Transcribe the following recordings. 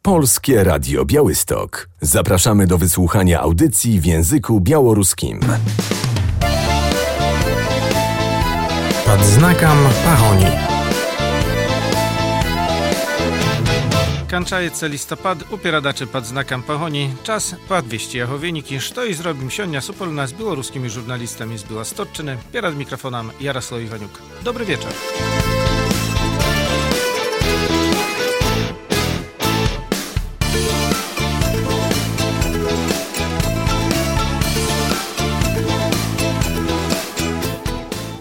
Polskie Radio Białystok. Zapraszamy do wysłuchania audycji w języku białoruskim. Pod znakом погони. Кончается листопад, у перадачы под знаком погони. Час подвести яго выники, что и зробим сёння супольна з белорусскими журналистами з Белосточчыны. Перед микрофоном Ярослав Иванюк. Добрый вечер.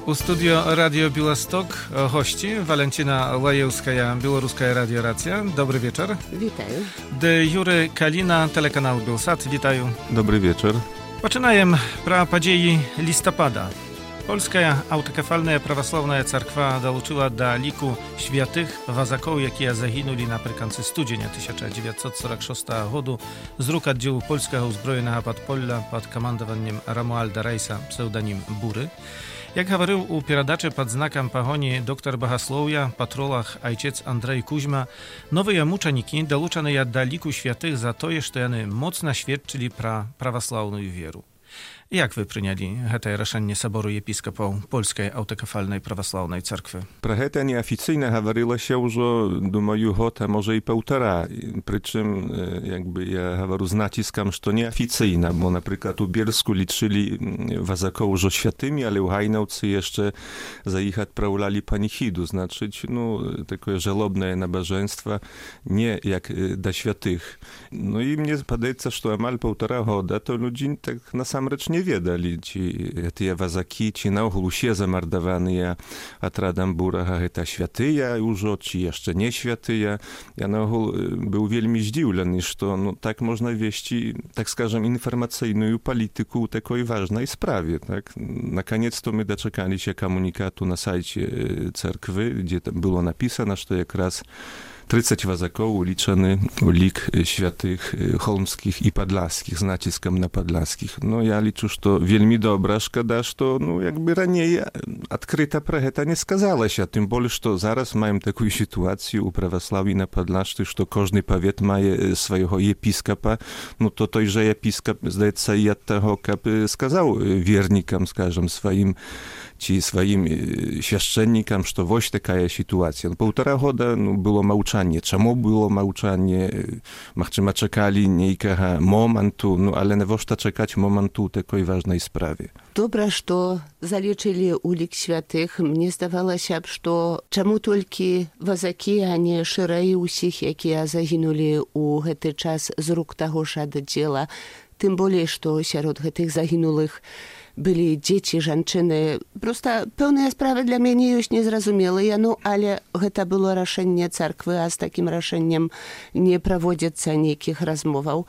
У студио Radio Białystok gości Walentyna Lajewskaja, Białoruska Radio Racja. Dobry wieczór. Witaję. De Jury Kalina, telekanał Bielsat. Witaję. Dobry wieczór. Zaczynamy про події listopada. Polska autokefalna prawosławna cerkwa dołączyła do liku świętych wazaków, jakie zaginuli naprzykład studzienia 1946 roku z rąk oddziału polskiego uzbrojonego podpolla pod komandowaniem Romualda Rejsa, pseudonim Bury. Jak говорил у передачи под знаком погони доктор богословия, патролог ojciec Andrzej Kuźma, новые мученики, долученные до лику святых за то, что они мощно świadczyli про православную веру. Jak wy przyjęli to решение Soboru Episkopów Polskiej Autokefalnej Prawosławnej Cerkwy? Про гэта неафіцыйна гаварылася ўжо, думаю, год, а можа і паўтара. Прычым, я гавару з націскам, што неафіцыйна, бо, напрыклад, у Бельску лічылі вазакоў ужо святымі, але ў Гайнаўцы яшчэ за іх адпраўлялі паніхіду, значыць, такое жалобнае набажэнства, не як да святых. І мне падаецца, што амаль паўтара года то людзі так насамрэч не ведалі, ці гэтыя вазакі, ці наогул усе замардаваныя атрадам Бурага гэта святыя ўжо, ці яшчэ не святыя. Я наогул быў вельмі здзіўлены, што так можна весці, так скажем, інфармацыйную палітыку ў такой важнай справе. Так? Наконец-то мы дачакаліся камунікату на сайце церквы, дзе там было напісана, што якраз 30 вазакоў улічаны ў лік святых холмскіх і падласкіх, з націскам на падласкіх. Я лічу, што вельмі добра, шкада, што раней адкрыта пра гэта не сказалася, тым болей, што зараз маем такую сітуацыю ў праваслаўі на Падлашчы, што кожны павет мае свайго епіскапа, то той жа епіскап, здаецца, і ад таго, каб сказаў вернікам, скажам, сваім ці сваім свяшчэннікам, што вось такая сітуацыя. Паўтара года было маўчанне. Чаму было маўчанне? Магчыма, чакалі нейкага моманту, але навошта чакаць моманту ў такой важнай справе? Добра, што залічылі ў лік святых. Мне здавалася б, што чаму толькі вазакі, а не шырэй усіх, якія загінулі ў гэты час з рук таго ж аддзела. Тым болей, што сярод гэтых загінулых былі дзеці, жанчыны. Проста пэўныя справы для мяне ёсць незразумелыя, але гэта было рашэнне царквы, а з такім рашэннем не праводзяцца нейкіх размоваў.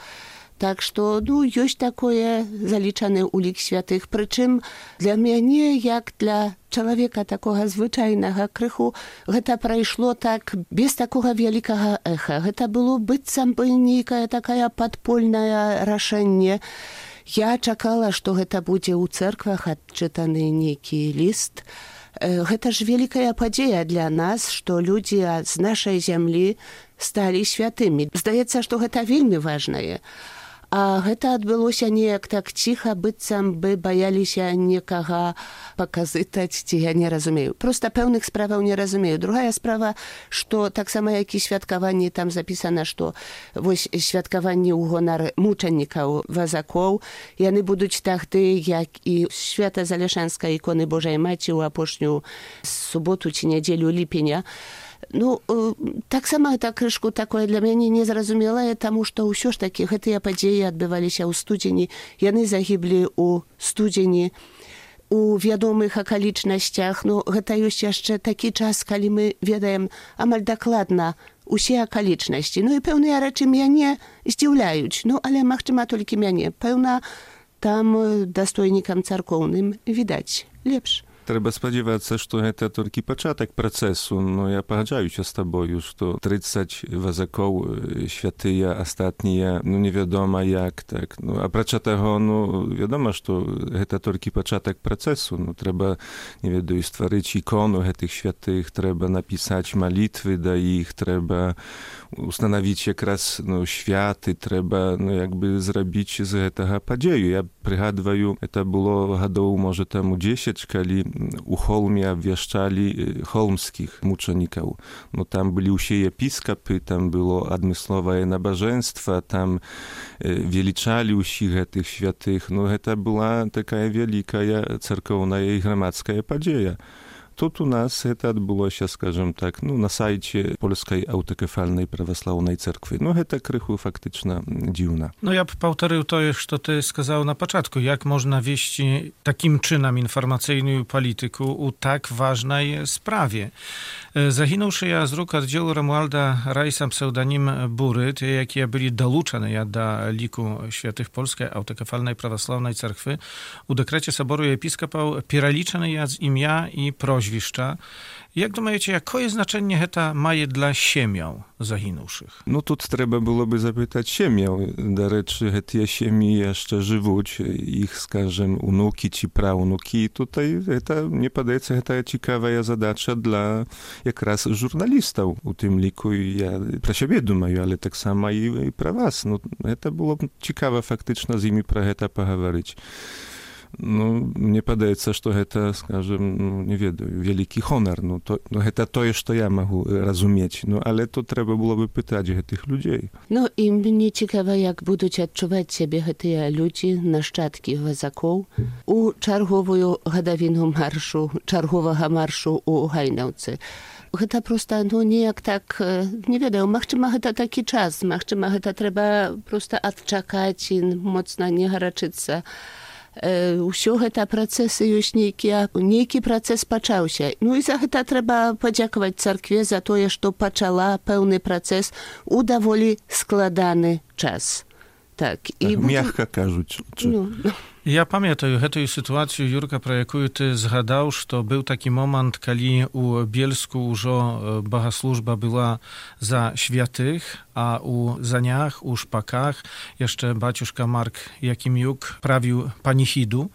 Так што, ёсць такое залічаны ў лік святых. Прычым для мяне, як для чалавека такога звычайнага крыху, гэта прайшло так без такога вялікага эха. Гэта было быццам бы нейкае такая падпольнае рашэнне. Я чакала, што гэта будзе ў цэрквах адчытаны нейкі ліст. Гэта ж вялікая падзея для нас, што людзі з нашай зямлі сталі святымі. Здаецца, што гэта вельмі важнае. А гэта адбылося неяк так ціха, быццам бы баяліся некага паказытаць, ці я не разумею. Проста пэўных справаў не разумею. Другая справа, што таксама як і святкаванні, там запісана, што вось святкаванні ў гонар мучанікаў вазакоў, яны будуць тагды, як і свята Залешанскай іконы Божай Маці ў апошнюю суботу ці нядзелю ліпеня. Таксама гэта крышку такое для мяне незразумелае, таму што ўсё ж такі гэтыя падзеі адбываліся ў студзені, яны загіблі ў студзені, у вядомых акалічнасцях. Гэта ёсць яшчэ такі час, калі мы ведаем амаль дакладна усе акалічнасці. І пэўныя рэчы мяне здзіўляюць, але, магчыма, толькі мяне. Пэўна, там дастойнікам царкоўным відаць лепш. Трэба спадзявацца, што гэта толькі пачатак працэсу. Я пагаджаюся з табою, што 30 вазакоў святыя, астатнія, невядома як так. Апрача таго, вядома, што гэта толькі пачатак працэсу. Трэба, не ведаю, стварыць ікону гэтых святых, трэба напісаць малітвы да іх, трэба ustanowić якраз światy, trzeba jakby zrobić z tego podzieju. Ja przygadwaju, to było годов, może temu 10, kiedy u Holmia obwieszczali holmskich muczeników. No tam byli usie episkopy, tam było admysłowe nabożeństwo, tam величали усіх гэтых святых. Ну, гэта была такая вялікая церкоўная і грамадская падзея. Тут у нас гэта адбылося, скажем так, на сайце Польскай аўтакефальнай праваслаўнай церквы. Ну, гэта крыху фактычна дзіўна. No ja powtórzył to, co ty сказал na początku. Jak można wieść takim czynem informacyjnym polityku u tak ważnej sprawie? Zaginąwszy ja z ruk oddziału Romualda Rajsa pseudonim Buryt, jakie byli doluczane do liku świętych Polskiej Autokefalnej Prawosławnej Cerkwy, u dekrecie Soboru Episkopał pieraliczane ja z imię i proźwiszcza. Jak думаете, jakie znaczenie heta maje dla siemiał zaginąwszych? No тут треба було би запитати siemiał. До речі, ті сім'ї jeszcze живуть, їх, скажем, унуки чи правнуки. Tutaj мне подається, гэта цікава задача для якраз журналістів у тим ліку. Я про себе думаю, але так само і про вас. Ну, це було б цікаво фактично з ними про це поговорити. Ну, мне падаецца, што гэта, скажем, не ведаю, вялікі хонар. Гэта тое, што я магу разумець. Але тут трэба было бы пытаць гэтых людзей. І мне цікава, як будуць адчуваць сябе гэтыя людзі, нашчадкі вазакоў, у чарговую гадавіну маршу, чарговага маршу у Гайнаўцы. Гэта проста, неяк так, не ведаю, магчыма, гэта такі час, магчыма, гэта трэба проста адчакаць і моцна не гарачыцца. Усё гэта працэсы ёсць нейкі працэс пачаўся. І за гэта трэба падзякаваць царкве за тое, што пачала пэўны працэс у даволі складаны час. Так, мягка кажуць. Ja pamiętam tę sytuację, Jurka, про яку ty zgadał, że był taki moment, kiedy u Bielsku już bogosłużba była za świętych, a u Zaniach, u Szpakach jeszcze baciuszka Mark Jakimiuk prawił panichidu.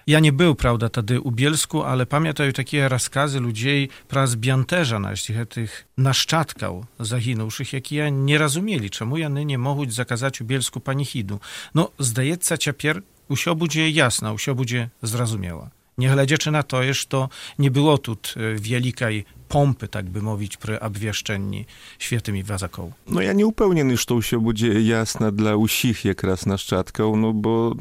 Ja nie był, prawda, wtedy u Bielsku, ale pamiętam takie rozkazy ludzi pra zbianterza tych naszczadków zaginąwszych, jakie nie rozumieli, czemu jany nie mogą zakazać u Bielsku panichidu. No, zdaється, ciapier usio będzie jasna, usio będzie zrozumiała. Nie глядячи na to, że to nie było tu wielkiej pompy, tak by mówić, przy obwieszczeniu świętymi wazakoł. No ja nie upewniony, że to się będzie jasne dla usich jaкраз naszczadków, bo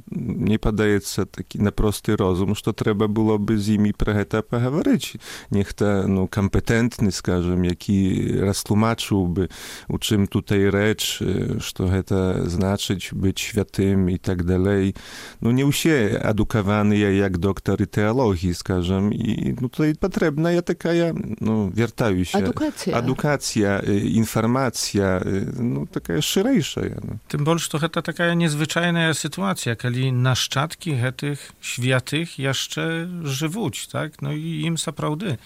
nie podaється taki na prosty rozum, że trzeba byłoby z nimi про это поговорить. Niech ten kompetentny, скажем, jaki roztłumaczyłby, u czym tutaj rzecz, że to znaczyć być świętym i tak dalej. No nie usie edukowany jak doktory teologii, скажем, i tutaj potrzebna jest taka, wiertаюся. Edukacja, informacja, taka szersza. Tym bardziej, że to taka niezwyczajna sytuacja, kiedy naszczadki tych świętych jeszcze żywą, tak? I im naprawdę.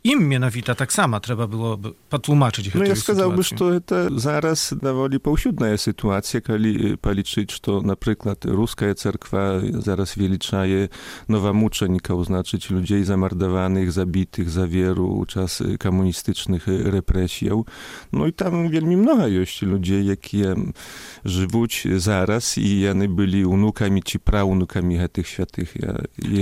Im mianowita tak samo trzeba było potłumaczyć tę sytuację. Ja сказałbym, że to zaraz dowoli powsiudna sytuacja, kiedy policzyć, że na przykład ruska cerkwa zaraz weliczaje nowa muczenika, oznaczyć ludzi zamordowanych, zabitych za wieru czas komunistycznych represji. I tam wielmi mnogo jest ludzi, jakie żywą zaraz i oni byli unukami czy praunukami tych świętych.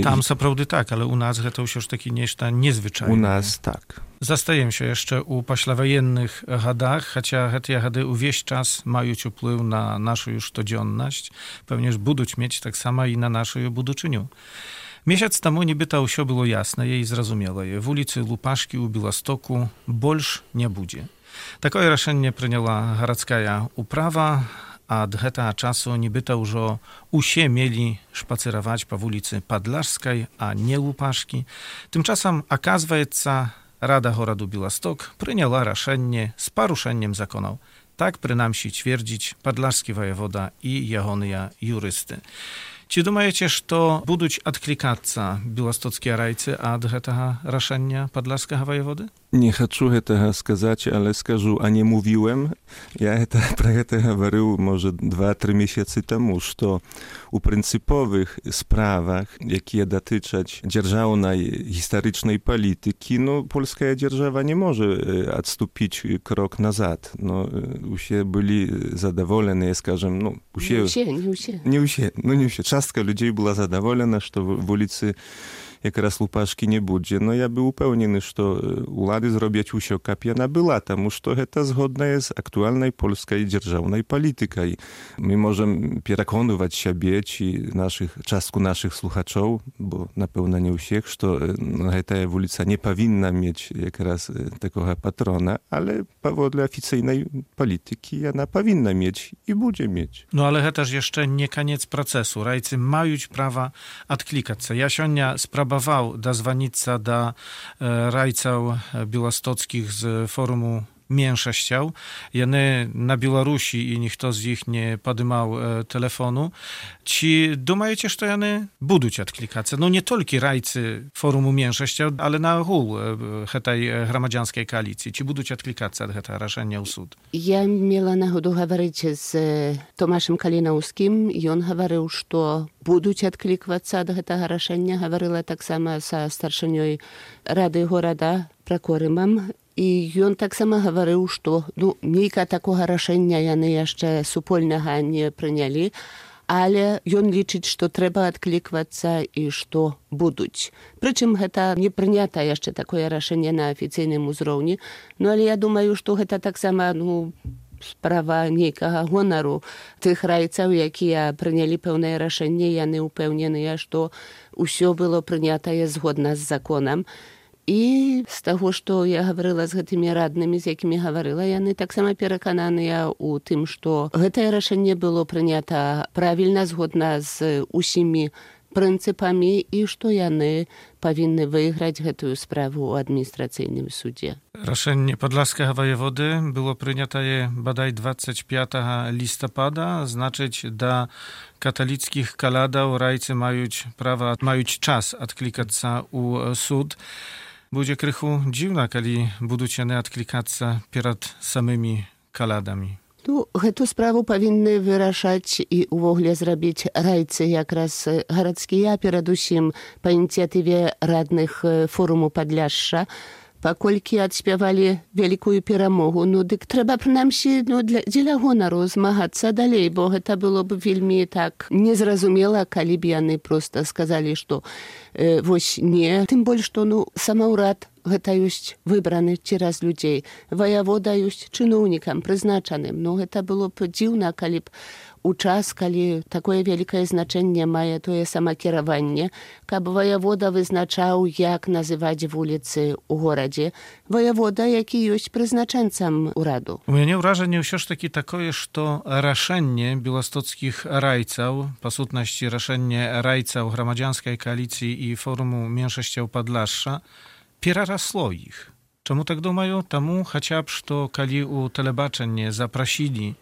Tam co prawda tak, ale u nas to już takie niezwyczajne. U nas tak. Zastajemy się jeszcze u poślawojennych hadach, chociaż te hady wieś czas mają wpływ na naszą już codzienność, pewnie będą mieć tak samo i na naszą buduczyniu. Miesiąc temu niby to usio było jasne i zrozumiałe. W ulicy Lupaszki u Białostoku больше nie będzie. Takie решение przyjęła garadzka uprawa, a od tego czasu niby to już usie mieli spacerować po ulicy Padlaszskiej, a nie Lupaszki. Tymczasem okazuje, Rada Goradu Białystok przyjęła решение z poruszeniem zakonów. Tak przynajmniej twierdzić padlaszki wojewoda i jagony jurysty. Czy думаете, że będą odklikаться białostockie rajcy od tego решения padlaszskiego wojewody? Не хочу гэтага сказаць, але скажу, а не mówiłem. Я пра гэта гаварыў, можа, 2-3 месяцы таму, што у прынцыповых справах, якія датычаць дзяржаўнай гістарычнай палітыкі, польская дзяржава не можа адступіць крок назад. Усе былі задаволеныя, скажем, не ўсе. Частка людзей была задаволена, што вуліцы якраз лупашкі не будзе. Я быў упэўнены, што улады зробяць усё, каб яна была, таму што гэта згоднае з актуальнай польскай дзяржаўнай палітыкай. Мы можам пераконваць сябе ці частку нашых слухачоў, бо, напэўна, не ўсіх, што гэтая вуліца не павінна мець якраз такога патрона, але паводле афіцыйнай палітыкі яна павінна мець і будзе мець. Ale гэта ж яшчэ не канец працэсу. Райцы маюць права адклікацца. Я сёння спрабаваў дазваніцца да райцаў беластоцкіх з форуму меншасцяў. Яны на Беларусі і ніхто з іх не падымаў тэлефону. Ці думаеце, што яны будуць адклікацца? Не толькі райцы форуму меншасцяў, але на агул гэтай грамадзянскай кааліцыі. Ці будуць адклікацца ад гэтага рашэння ў суд? Я мела нагоду гаварыць з Томашем Калінаўскім. Ён гаварыў, што будуць адкліквацца ад гэтага рашэння. Гаварыла таксама са старшынёй рады горада Пракорымам. І ён таксама гаварыў, што нейка такога рашэння яны яшчэ супольнага не прынялі, але ён лічыць, што трэба адкліквацца і што будуць. Прычым гэта не прынята яшчэ такое рашэнне на афіцыйным узроўні, але я думаю, што гэта таксама справа нейкага гонару тых райцаў, якія прынялі пэўнае рашэнне, яны ўпэўненыя, што ўсё было прынятае згодна з законам. І з таго, што я гаварыла з гэтымі раднымі, з якімі гаварыла, яны таксама перакананыя ў тым, што гэтае рашэнне было прынята правільна, згодна з усімі прынцыпамі і што яны павінны выйграць гэтую справу ў адміністрацыйным судзе. Рашэнне падляшскага воеводы было прынятае бадай 25 лістапада, значыць, да каталіцкіх калядаў райцы маюць час адклікацца ў суд. Будзе крыху дзіўна, калі будуць яны адклікацца перад самымі калядамі. Гэту справу павінны вырашаць і ўвогуле зрабіць райцы якраз гарадскія, перадусім па ініцыятыве радных форуму Падляшша, паколькі адспявалі вялікую перамогу. Дык трэба прынамсі дзеля гонару змагацца далей, бо гэта было б вельмі так незразумела, калі б яны проста сказалі, што вось не. Тым больш, што самаўрад гэта ёсць выбраны цераз людзей. Ваявода ёсць чыноўнікам прызначаным. Гэта было б дзіўна, калі б у час, калі такое вялікае значэнне мае тое самакіраванне, каб ваявода вызначаў, як называць вуліцы ў горадзе. Ваявода, які ёсць прызначэнцам ураду. У мяне ўражанне ўсё ж такі такое, што рашэнне беластоцкіх райцаў, па сутнасці рашэнне райцаў грамадзянскай кааліцыі і форуму меншасцяў Падляшша, перарасло іх. Чаму так думаю? Таму хаця б, што калі ў тэлебачанне запрасілі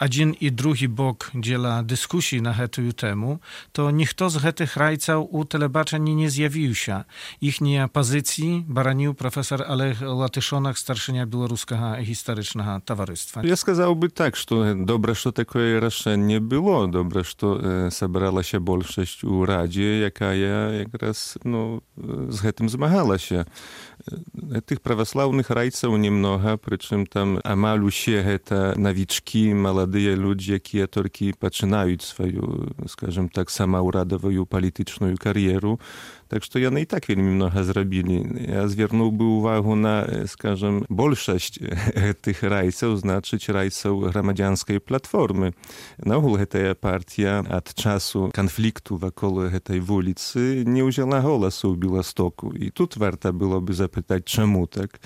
адзін і другі бок дзеля дыскусій на гэтую тэму, то ніхто з гэтых райцаў у тэлебачанні не з'явіўся. Іхнія пазіцыі бараніў прафесор Олег Латышонак, старшыня беларускага гістарычнага таварыства. Я сказаў бы так, што добра, што такое рашэнне было, добра, што сабралася большасць у радзе, якая якраз з гэтым змагалася. Тых праваслаўных райцаў немнога, прычым там амаль усе гэта навічкі, маладыя людзі, якія толькі пачынаюць сваю, скажем так, самаўрадавую палітычную кар'еру. Так што яны і так вельмі многа зрабілі. Я звярнуў бы ўвагу на, скажем, большасць гэтых райцаў, значыць райцаў грамадзянскай платформы. Наогул гэтая партія ад часу канфлікту вакол гэтай вуліцы не ўзяла голасу ў Беластоку. І тут варта было бы запытаць, чаму так.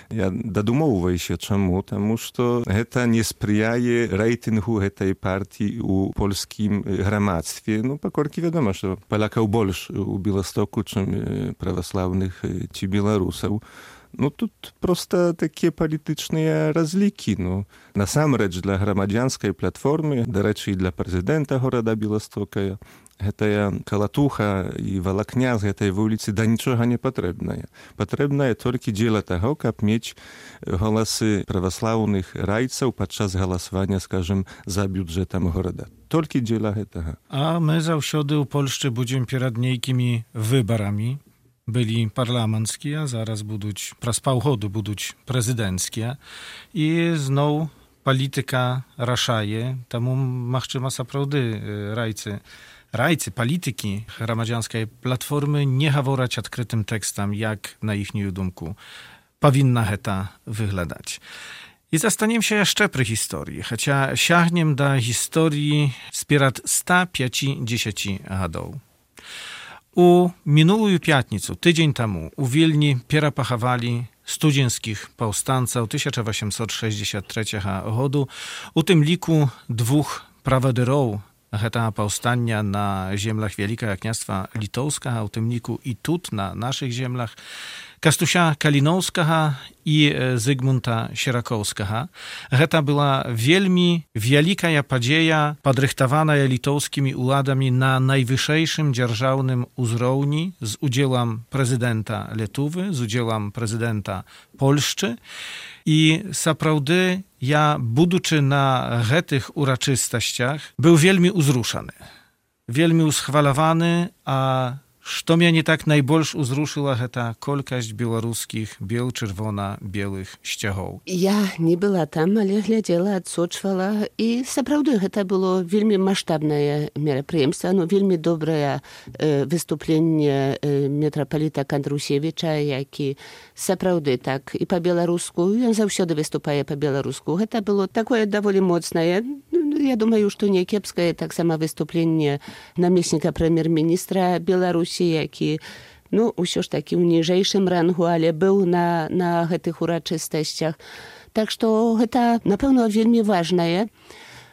Я дадумоўваюся, чаму, таму што гэта не спрыяе рэйтынгу гэтай партіі ў польскім грамадстве. Паколькі вядома, што палякаў больш у Беластоку, чым праваслаўных ці беларусаў. Ну, тут просто такія палітычныя разлікі. Ну, насамрэч для грамадзянскай платформы, дарэчы, і для прэзідэнта горада Беластока, гэтая калатуха і валакня з гэтай вуліцы да нічога не патрэбная. Патрэбнае толькі дзеля таго, каб мець галасы праваслаўных райцаў падчас галасавання, скажем, за бюджэтам горада. Толькі дзеля гэтага. A my zаўсёды ў Польшчы будзем перад нейкімі выбарамі. Byli parlamenckie, a zaraz будуть, праз паўгоду будуть прэзідэнцкія. І зноў палітыка рашае, таму, магчыма, сапраўды райцы, палітыкі грамадзянскай платформы не гавораць адкрытым тэкстам, як, на іхнюю думку, павінна гэта выглядаць. I zastanawiam się jeszcze przy historii, chociaż sięgniemy do historii spierad 150 lat. U minulую piatnicu, tydzień temu, u Wilni perapachawali studzienskich powstańców 1863 roku. U tym liku dwóch prawodyrów Heta powstania na ziemlach Wielkiego Kniastwa Litowskiego, u tym liku i tut na naszych ziemlach, Kastusia Kalinowskiego i Zygmunta Sierakowskiego. Heta była wielmi wielka padzieja podrychtowana litowskimi uladami na najwyższym dzierżawnym uzrowni z udziałem prezydenta Lietuvy, z udziałem prezydenta Polszczy. I saprawdy ja, будучи na tych uroczystościach, był wielmi uzruszany, wielmi uschwalowany, a что меня не так найбольш узрушила гэта колькасць беларускіх бел-чырвона-белых сцягоў. Я не была там, але глядзела, адсочвала, і сапраўды гэта было вельмі маштабнае мерапрыемства, вельмі добрае выступленне мітрапаліта Кандрусевіча, які сапраўды так і па-беларуску, ён заўсёды выступае па-беларуску. Гэта было такое даволі моцнае. Я думаю, што не кепскае таксама выступленне намесніка прэм'ер-міністра Беларусі, які, ўсё ж такі ў ніжэйшым рангу, але быў на гэтых урачыстасцях. Так што гэта, напэўна, вельмі важнае.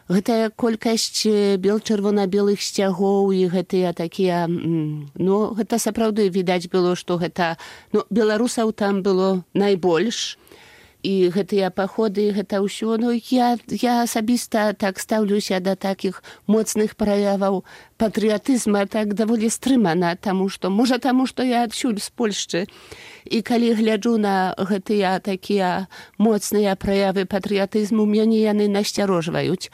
Гэтая колькасць бел-чырвона-белых сцягоў і гэтыя такія, гэта сапраўды відаць было, што гэта, беларусаў там было найбольш. І гэтыя паходы, гэта ўсё, я асабіста так стаўлюся да такіх моцных праяваў патрыятызма так даволі стрымана, можа таму, што я адсюль з Польшчы. І калі гляджу на гэтыя такія моцныя праявы патрыятызму, мяне яны насцярожваюць.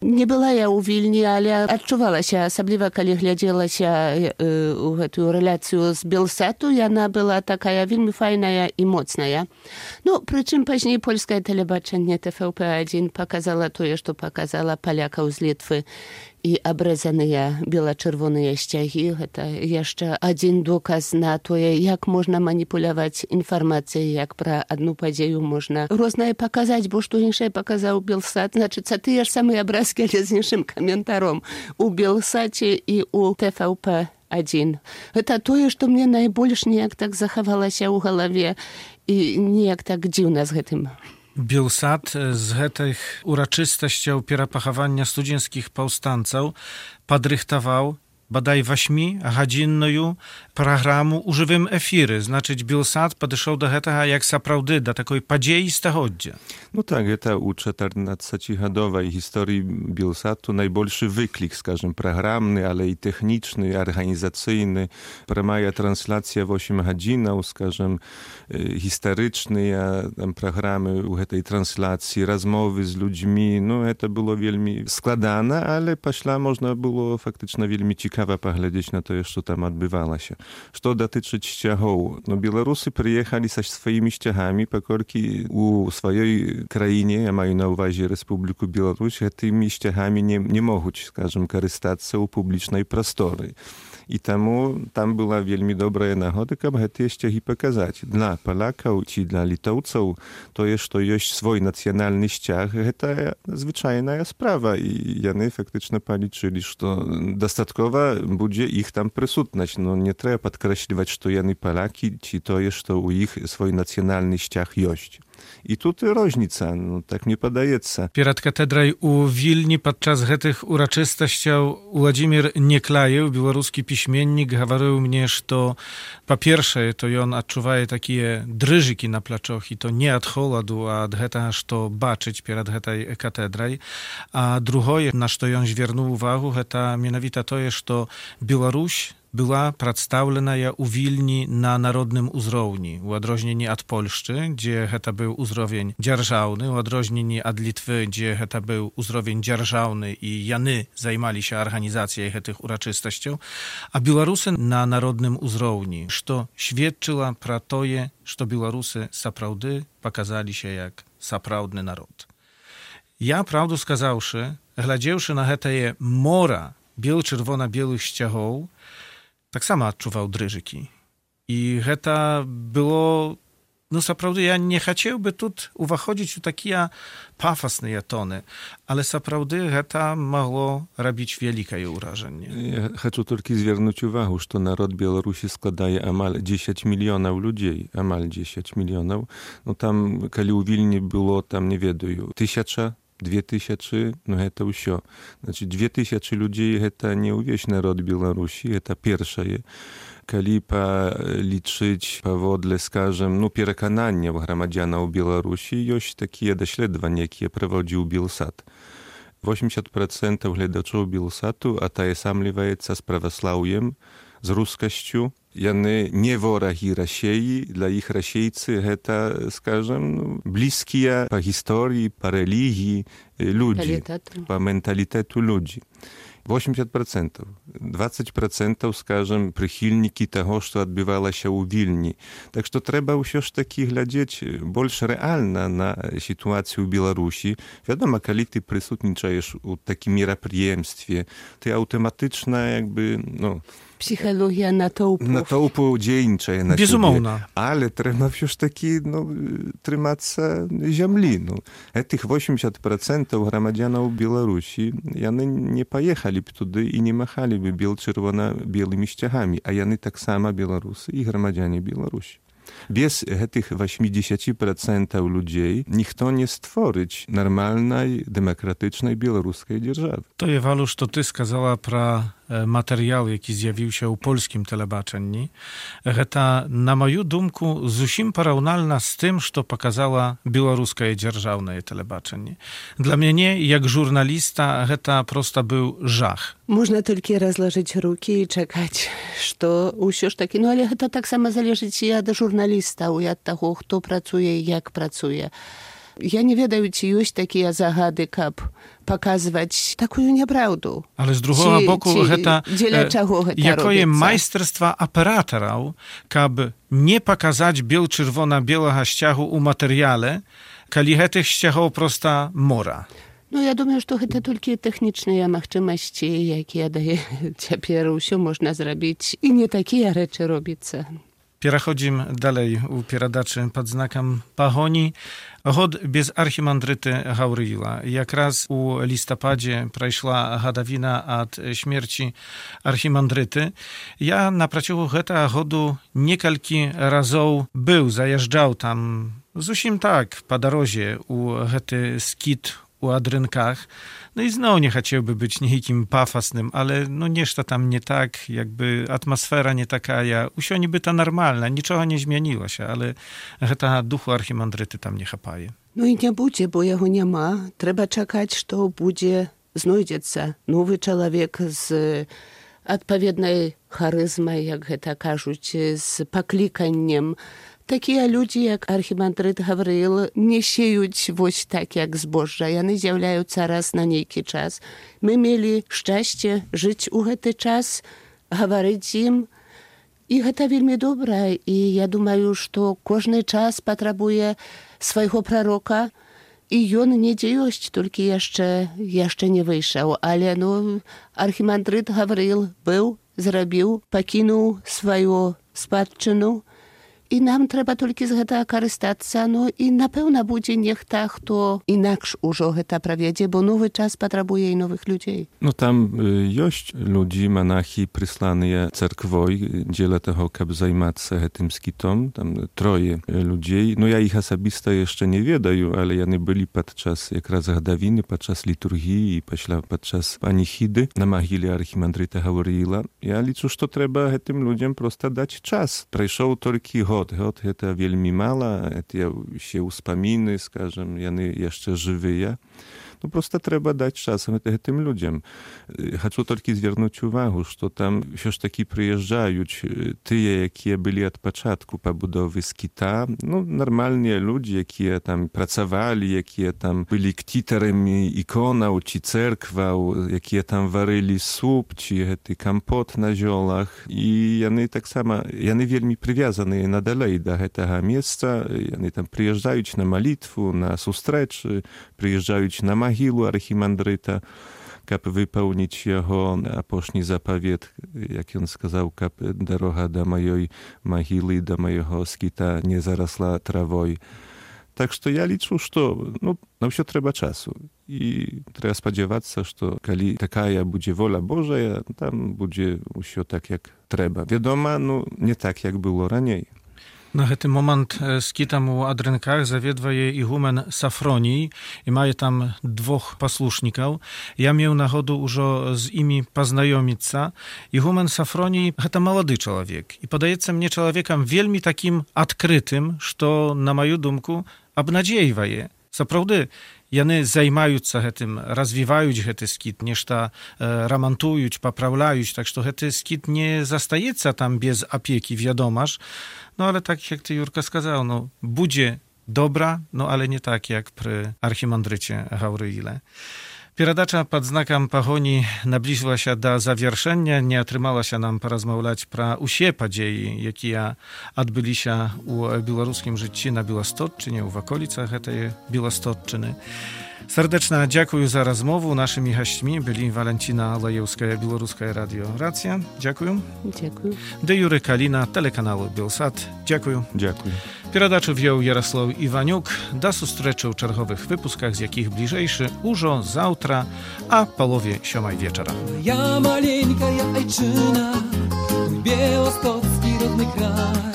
Не была я ў Вільні, але адчувалася, асабліва калі глядзелася ў гэтую рэляцыю з Белсату, яна была такая вельмі файная і моцная. Прычым пазней польскае тэлебачанне TVP1 паказала тое, што паказала палякаў з Літвы і абрэзаныя бела-чырвоныя сцягі. Гэта яшчэ адзін доказ на тое, як можна маніпуляваць інфармацыяй, як пра адну падзею можна рознае паказаць, бо што іншае паказаў Белсат, значыцца, тыя ж самыя абразкі, але з іншым каментаром у Белсаце і у TVP1. Гэта тое, што мне найбольш неяк так захавалася ў галаве і неяк так дзіўна з гэтым. Белсат z гэтых урачыстасцяў перапахавання студзенскіх паўстанцаў падрыхтаваў бадай 8-гадзінную праграму ў жывым эфіры. Значыць, Белсат падышоў да гэтага як сапраўды, да такой падзеі стагоддзя. Tak, гэта ў 14-гадовай гісторыі Белсату найбольшы выклік, скажем, праграмны, але і тэхнічны, арганізацыйны. Прамая трансляцыя 8 гадзінаў, скажем, гістарычныя праграмы ў гэтай трансляцыі, размовы з людзьмі. Гэта было вельмі складана, але пасля можна было фактычна вельмі цікава паглядзець на тое, што там адбывалася. Што датычыць сцягоў? Беларусы прыехалі са сваімі сцягамі, паколькі у сваёй краіне, я маю на ўвазе Рэспубліку Беларусь, гэтымі сцягамі не могуць, скажем, карыстацца ў публічнай прасторы. І таму там была вельмі добрая нагода, каб гэтыя сцягі паказаць. Для палякаў ці для літоўцаў тое, што ёсць свой нацыянальны сцяг, гэта звычайная справа. І яны фактычна палічылі, што дастаткова trzeba będzie ich tam присутнać. No nie trzeba podkreśliwać, że jeny Polaki, czy to jest, że u ich swój nacjonalny ściach jest. I tutaj różnica, no tak mi podaється. Перад катедрай у Вільні падчас гэтых урачыстасцяў Уладзімір Неклаеў, беларускі пісьменнік, гаварыў мне, што па-першае, то ён адчувае такія дрыжыкі на плячох, і то не ад холаду, а ад гэтага, што бачыць перад гэтай катедрай. А другое, на што ён звярнуў увагу, гэта менавіта тое, што Беларусь była przedstawiona u Wilni na narodnym uzrołni, u odróżnieniu od Polszczy, gdzie to był uzrowień dzierżawny, u odróżnieniu od Litwy, gdzie to był uzrowień dzierżawny i jany zajmali się organizacją tych uroczystości, a Białorusy na narodnym uzrołni, co świadczyło про to, że Białorusy naprawdę pokazali się jak saprawdny naród. Ja, prawdę skazawszy, gladziewszy na te mora biel-czerwona-bielych ściachów, tak samo odczuwał drżyki. I to było, no naprawdę ja nie chciałby tu uwachodzić u takie pafosne tony, ale naprawdę to mogło robić wielkie urażenie. Ja chcę tylko zwrócić uwagę, że naród Białorusi składaje amal 10 milionów ludzi, amal 10 milionów. No tam, kiedy u Wilni było tam, nie wiem, 1000, 2000, no to już. Znaczy 2000 ludzi to nie uwieś naród Białorusi, to pierwsze. Kiedy policzyć powodle, скажем, переконання громадянів Білорусі, jest takie дослідження, яке проводив Білсат. 80% глядачів Білсату отождествляється з православ'ям, z ruskością. Jany nie wrogi Rosji, dla ich Rosjejcy to, скажем, bliskie po historii, po religii ludzi, po mentalitetu ludzi. 80%. 20%, скажем, przychylniki tego, co odbywało się u Wilni. Tak że trzeba już taki глядеть больше realna na sytuację w Białorusi. Wiadomo, kiedy ty присутничаешь u takim мероприемстве, ty automatycznie jakby, no, psychologia natoupu dziennicze na Безумовно. siebie. Ale trzeba już taki, no, trzymać ziemi. No. Tych 80% громадянów Białorusi, oni nie pojechali tudy i nie machaliby biel-czerwona-białymi ściachami, a oni tak samo Białorusy i громадяне Białorusi. Bez tych 80% ludzi nikt nie stworzyć normalnej, demokratycznej białoruskiej держаwy. To je, Walusz, to ty skazała про materiał, jaki zjawił się u polskim telebaczenni. To, na moją думку, zusim porównalna z tym, co pokazała białoruskie dzierżawne telebaczenie. Dla mnie, jak żurnalista, to prosto był żach. Można tylko rozłożyć ruki i czekać, że już taki, no ale to tak samo zależy i od żurnalista, od tego, kto pracuje i jak pracuje. Ja nie wiem, czy jest takie zagady, jak pokazywać taką nieprawdę. Ale z drugiego boku, jakie majsterstwa operatorów, aby nie pokazać biel-czerwona-białego ściachu u materiale, kiedy tych ściachów prosta mora. No ja думаю, że to tylko techniczne możliwości, jakie daje teraz все można zrobić i nie takie rzeczy robić. Przechodzimy dalej u pieradaczy pod znakiem Pahoni. Год без архімандрыты Гаўрыіла. Якраз у лістападзе прайшла гадавіна ад смерці архімандрыты. Я на працягу гэтага году некалькі разоў заязджаў там зусім так па дарозе у гэты скіт у Adrynkach. No i znowu nie chciałby być nikim pafosnym, ale no nieszta tam nie tak, jakby atmosfera nie taka, usio niby ta normalna, niczego nie zmieniło się, ale ta duchu archimandryty tam nie chapaje. No i nie będzie, bo jego nie ma. Trzeba czekać, że będzie znajdziecie nowy człowiek z odpowiedniej charyzmą, jak to кажуть, z poklikaniem. Takie ludzie jak archimandryt Gawryil nie sieją właśnie tak jak zboża. One zjawiają się raz na niejki czas. My mieli szczęście żyć u ten czas, mówić im. I to bardzo dobre. I ja думаю, że każdy czas potrzebuje swojego proroka. I on nie jest, tylko jeszcze nie wyszedł. Ale no, archimandryt Gawryil był, zrobił, pokinął swoją spadczynę. i nam trzeba tylko z tego korzystać, no i na pewno będzie niech tak to inaczej już to prawiedzie, bo nowy czas potrzebuje i nowych ludzi. No tam jość ludzi, monachy przysłane cerkwoj, dziele tego, żeby zajmować się tym skitom, tam 3 ludzi. No ja ich osobiste jeszcze nie wiedаю, ale oni byli podczas jak raz gadawiny, podczas liturgii i podczas panichidy na mogile archimandryta Gawryila. Ja liczę, że trzeba tym ludziom prosto dać czas. Przeszł tylko god. God to wielmi mało, to się uspominy, skażem, oni jeszcze żywe. No prosto trzeba dać czas tym ludziom. Chcę tylko zwrócić uwagę, że tam już taki przyjeżdżają tyje, jakie byli od początku pobudowy skita, no normalnie ludzie, jakie tam pracowali, jakie tam byli ktiterami ikonał, czy cerkwał, jakie tam waryli sup, czy kompot na ziołach i oni tak samo, oni wielmi przywiązani nadalej do tego miejsca, oni tam przyjeżdżają na malitwu, na sustreczy, przyjeżdżają na mogilu archimandryta, aby wypełnić jego aposzni zapowiedź, jak on сказал, aby droga do mojej mogily, do mojego skita nie zarosła trawą. Tak że ja liczę, że na wszystko trzeba czasu i trzeba spodziewać się, że kiedy taka będzie wola Boża, tam będzie wszystko tak, jak trzeba. Wiadomo, no nie tak, jak było raniej. Na ten moment skitam u Adrynkach zawiedwa je igumen Safronii i maje tam 2 posłuszników. Ja miał nachodu użo z imi poznajomica. Igumen Safronii to młody człowiek i podaje mnie człowiekiem wielmi takim odkrytym, że na moją dumku obnadziejwa je. Zaprawdę, jany zajmują się tym, rozwijają ten skit, nieszta remontują, poprawiają, tak że ten skit nie zostaje tam bez opieki, wiadomaż. No ale tak jak ty, Jurka, сказал, no będzie dobra, no ale nie tak jak przy archimandrycie Gawryile. Передача под знаком погони наблизила się do завершения, не атрымалася нам порозмаўляць пра усе падзеі, якія адбыліся ў беларускім жыцці на Беластотчыне, ў ваколіцах гэтай Беластотчыны. Serdeczna dziękuję za rozmowę. Naszymi gośćmi byli Walentina Lajewska, Białoruska Radio Racja. Dziękuję. Dziękuję. De Jury Kalina, telekanału Bielsat. Dziękuję. Dziękuję. Передачу wziął Jarosław Iwaniuk. Do zустрічі u czerwowych wypuskach, z jakich bliżejszy użo zawtra, a połowie 7 wieczora. Ja maleńka, ja ojczyna, mój białostocki rodny kraj.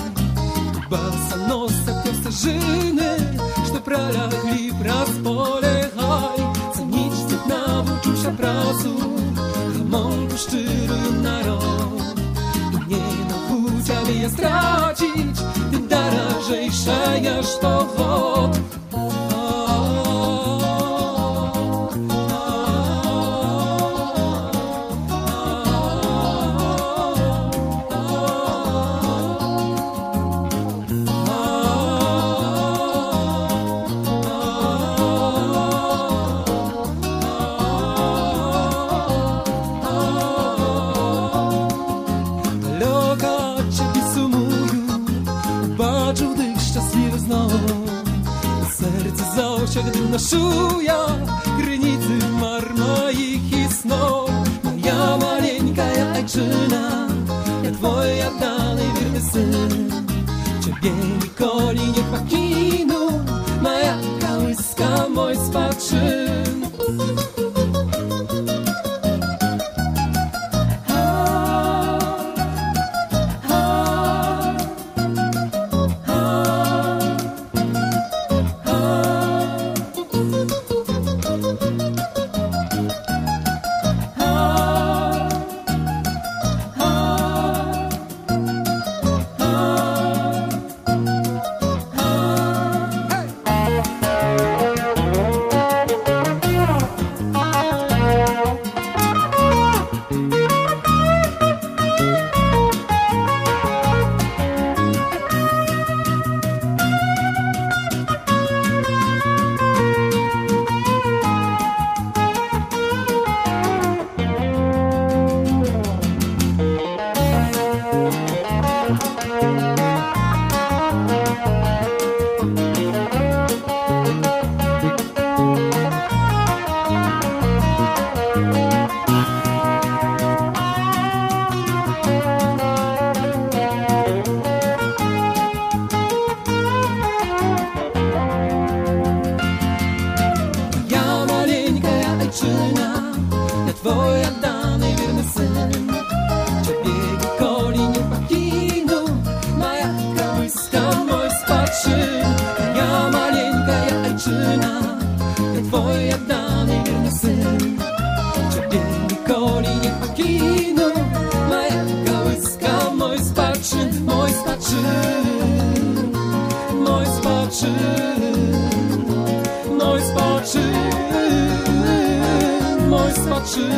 Босоносок те стажины, что пролягли праз поле хай. Ценить стыд навучуся працу, гамонку шчырую народ. И мне на путь, але я страcić, тым даражэйшая, што год. Gdy naszuja grynicy mar moich i snów. Moja maleńka, ja ojczyna, ja twoja dalej wierny syn. Ciebie nikoli nie pakinu, moja kołyska, mój spaczyn. spaczy,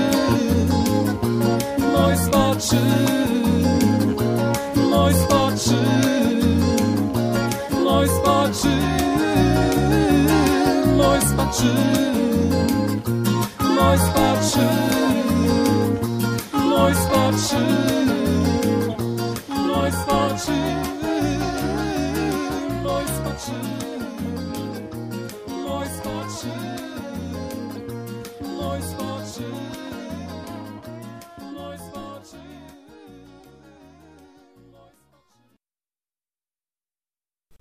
mój spaczy, mój spaczy, mój spaczy, mój spaczy, mój spaczy, mój spaczy, mój spaczy, mój spaczy, mój spaczy, mój spaczy.